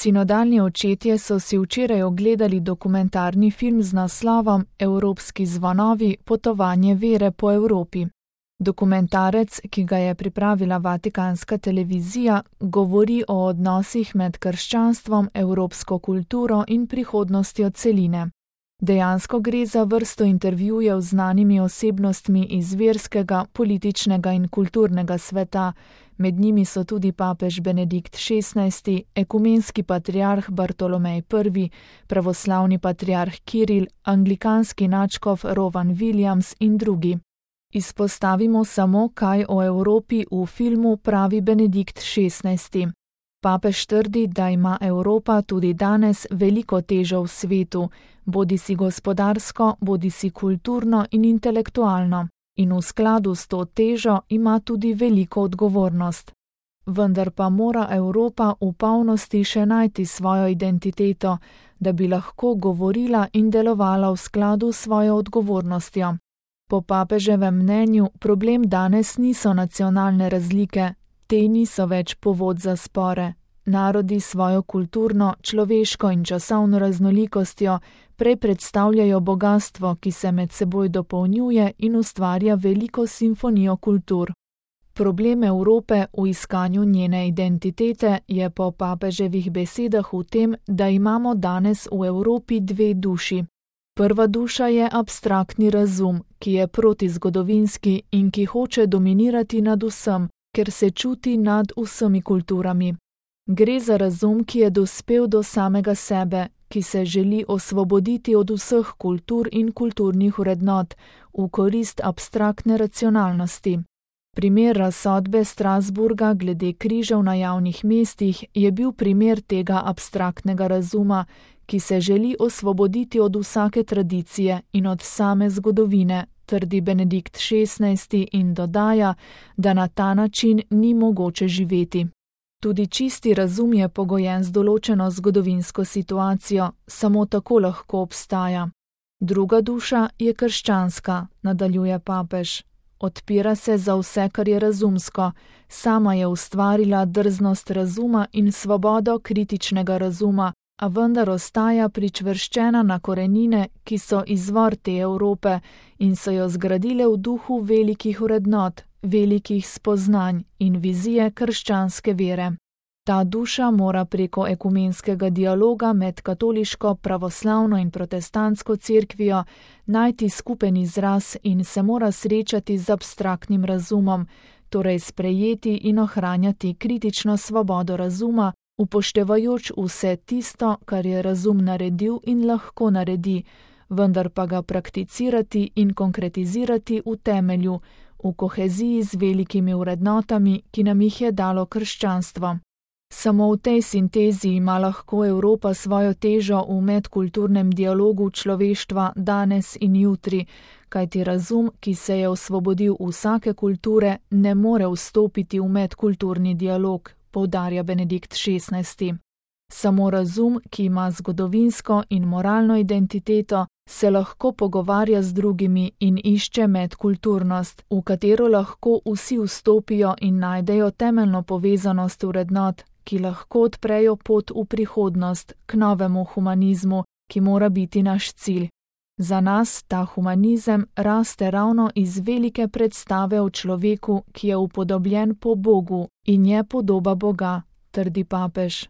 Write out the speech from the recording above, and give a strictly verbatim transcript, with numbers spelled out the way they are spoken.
Sinodalni očetje so si včeraj ogledali dokumentarni film z naslovom Evropski zvonovi – potovanje vere po Evropi. Dokumentarec, ki ga je pripravila Vatikanska televizija, govori o odnosih med krščanstvom, evropsko kulturo in prihodnostjo celine. Dejansko gre za vrsto intervjujev z znanimi osebnostmi iz verskega, političnega in kulturnega sveta, med njimi so tudi papež Benedikt šestnajsti, ekumenski patriarh Bartolomej prvi, pravoslavni patriarh Kiril, anglikanski nadškof Rowan Williams in drugi. Izpostavimo samo, kaj o Evropi v filmu pravi Benedikt šestnajsti. Papež trdi, da ima Evropa tudi danes veliko težo v svetu, bodisi gospodarsko, bodisi kulturno in intelektualno, in v skladu s to težo ima tudi veliko odgovornost. Vendar pa mora Evropa v polnosti še najti svojo identiteto, da bi lahko govorila in delovala v skladu s svojo odgovornostjo. Po papeževem mnenju problem danes niso nacionalne razlike, te niso več povod za spore. Narodi svojo kulturno, človeško in časovno raznolikostjo prej predstavljajo bogastvo, ki se med seboj dopolnjuje in ustvarja veliko simfonijo kultur. Problem Evrope v iskanju njene identitete je po papeževih besedah v tem, da imamo danes v Evropi dve duši. Prva duša je abstraktni razum, ki je protizgodovinski in ki hoče dominirati nad vsem, ker se čuti nad vsemi kulturami. Gre za razum, ki je dospel do samega sebe, ki se želi osvoboditi od vseh kultur in kulturnih vrednot v korist abstraktne racionalnosti. Primer razsodbe Strasburga glede križev na javnih mestih je bil primer tega abstraktnega razuma, ki se želi osvoboditi od vsake tradicije in od same zgodovine, trdi Benedikt šestnajsti in dodaja, da na ta način ni mogoče živeti. Tudi čisti razum je pogojen z določeno zgodovinsko situacijo, samo tako lahko obstaja. Druga duša je krščanska, nadaljuje papež. Odpira se za vse, kar je razumsko, sama je ustvarila drznost razuma in svobodo kritičnega razuma, a vendar ostaja pričvrščena na korenine, ki so izvor te Evrope in so jo zgradile v duhu velikih vrednot, velikih spoznanj in vizije krščanske vere. Ta duša mora preko ekumenskega dialoga med katoliško, pravoslavno in protestantsko cerkvijo najti skupen izraz in se mora srečati z abstraktnim razumom, torej sprejeti in ohranjati kritično svobodo razuma, upoštevajoč vse tisto, kar je razum naredil in lahko naredi, vendar pa ga prakticirati in konkretizirati v temelju, v koheziji z velikimi vrednotami, ki nam jih je dalo krščanstvo. Samo v tej sintezi ima lahko Evropa svojo težo v medkulturnem dialogu človeštva danes in jutri, kajti razum, ki se je osvobodil vsake kulture, ne more vstopiti v medkulturni dialog, poudarja Benedikt šestnajsti. Samo razum, ki ima zgodovinsko in moralno identiteto, se lahko pogovarja z drugimi in išče medkulturnost, v katero lahko vsi vstopijo in najdejo temeljno povezanost vrednot, ki lahko odprejo pot v prihodnost k novemu humanizmu, ki mora biti naš cilj. Za nas ta humanizem raste ravno iz velike predstave o človeku, ki je upodobljen po Bogu in je podoba Boga, trdi papež.